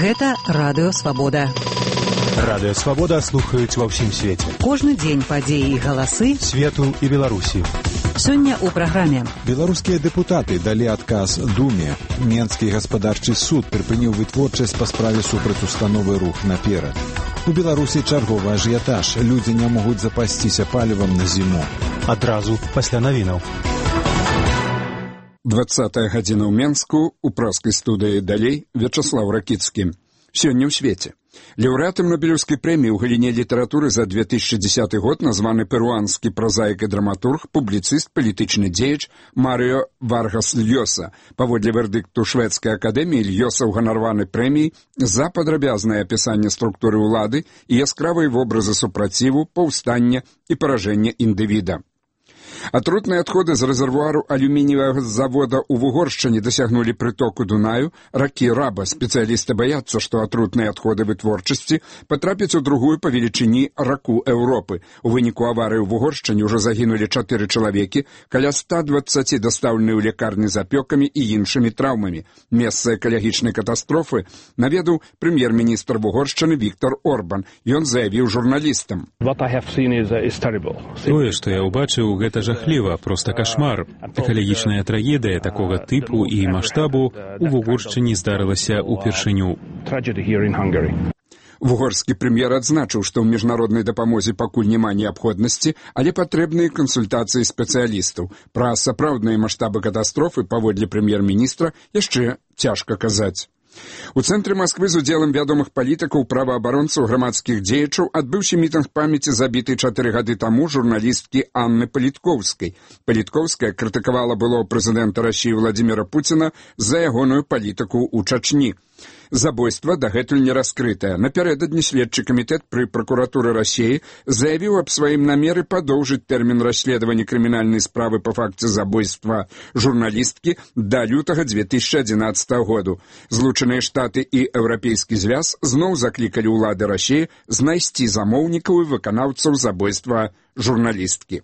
Гэта Радыё Свабода. Радыё Свабода слухаюць ва ўсім свеце. Кожны дзень падзеі і галасы свету і Беларусі. Сёння ў праграме. Беларускія дэпутаты далі адказ Думе. Менскі гаспадарчы суд прыпыніў вытворчасць па справе супраць установы «Рух наперад». У Беларусі чарговы ажыятаж. Людзі не могуць запасціся палівам на зіму. Адразу пасля навінаў. 20-я гадзіна ў Менску, у праскай студыі «Далей» Вячаслав Ракіцкі. Сёння ў свеце. Лаўрэатам Нобелеўскай прэміі ў галіне літаратуры за 2010 год названы перуанскі празаік і драматург, публіцыст, палітычны дзеяч Марыо Варгас Льёса. Паводле вердыкту шведскай акадэміі Льёса ўганараваны прэміяй за падрабязнае апісанне структуры ўлады і яскравыя вобразы супраціву, паўстання і паражэння індывіда. Атрутныя адходы з рэзервуару алюмініевага завода ў Вугоршчыне дасягнулі прытоку Дунаю ракі Раба. Спецыялісты баяцца, што атрутныя адходы вытворчасці патрапяць у другую па велічыні раку Еўропы. У выніку аварыі ў Вугоршчыне ўжо загінулі 4 чалавекі, каля 120 дастаўлены ў лякарні з апёкамі і іншымі траўмамі. Месца экалагічнай катастрофы наведаў прэм'ер-міністр Вугоршчыны Віктор Орбан. Ён заявіў журналістам. Тое, што я ўбачыў, гэта жахліва, проста кашмар. Экалагічная трагедыя такога тыпу і маштабу у Вугоршчыне здарылася ўпершыню. Вугорскі прэм'ер адзначыў, што ў міжнароднай дапамозе пакуль няма неабходнасці, але патрэбныя кансультацыі спецыялістаў. Пра сапраўдныя маштабы катастрофы, паводле прэм'ер-міністра, яшчэ цяжка казаць. У цэнтры Масквы з удзелам вядомых палітыкаў, праваабаронцаў, грамадскіх дзеячаў адбыўся мітынг памяці забітай 4 гады таму журналісткі Анны Паліткоўскай. Паліткоўская крытыкавала былого прэзідэнта Расіі Владзіміра Пуціна за ягоную палітыку ў Чачні. Забойства дагэтуль не раскрытае. Напярэдадні следчы камітэт пры пракуратуры Расіі заявіў аб сваім намеры падоўжыць тэрмін расследавання крымінальнай справы па факце забойства журналісткі да лютага 2011 году. Злучаныя Штаты і Еўрапейскі звяз зноў заклікалі ўлады Расіі знайсці замоўнікаў і выканаўцаў забойства журналісткі.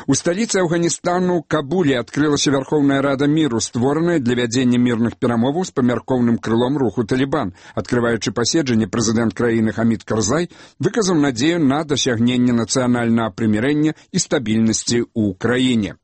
У сталіцы Афганістану Кабуле адкрылася Вярхоўная Рада міру, створаная для вядзення мірных перамоваў з памяркоўным крылом руху Талібан. Адкрываючы паседжанне, прэзідэнт краіны Хамід Карзай выказаў надзею на дасягненне нацыянальнага прымірэння і стабільнасці ў краіне.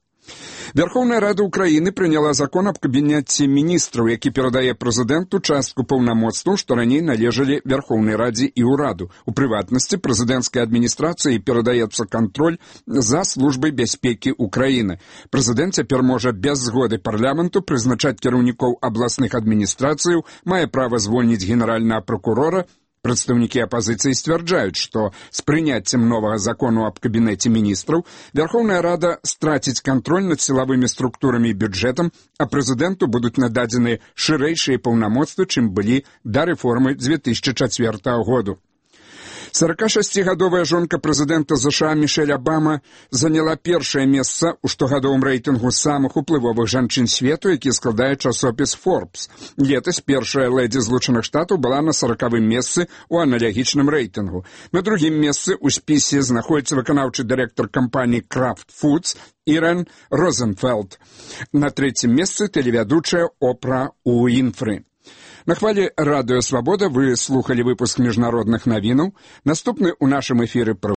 Вярхоўная Рада Украіны прыняла закон аб кабінеце міністраў, які перадае прэзідэнту частку паўнамоцтваў, што раней належалі Вярхоўнай Радзе і ўраду. У прыватнасці прэзідэнцкай адміністрацыі перадаецца кантроль за службай бяспекі Украіны. Прэзідэнт цяпер можа без згоды парламенту прызначаць кіраўнікоў абласных адміністрацыяў, мае права звольніць генеральнага пракурора. Прадстаўнікі апазіцыі сцвярджаюць, што з прыняццем новага закону аб кабінеце міністраў Вярхоўная Рада страціць кантроль над сілавымі структурамі і бюджэтам, а прэзідэнту будуць нададзены шырэйшыя паўнамоцтвы, чым былі да рэформы 2004 году. 46-гадовая жонка прэзідэнта США Мішэль Абама заняла першае месца ў штогадовым рэйтынгу самых уплывовых жанчын свету, які складае часопіс Forbes. Летась першая лэдзі Злучаных Штатаў была на 40-м месцы ў аналагічным рэйтынгу. На другім месцы ў спісе знаходзіцца выканаўчы дырэктар кампаніі Kraft Foods Ірэн Розенфелд. На трэцім месцы тэлевядучая Опра Уінфры. На хвалі Радыё Свабода вы слухалі выпуск міжнародных навінаў. Наступны ў нашым эфіры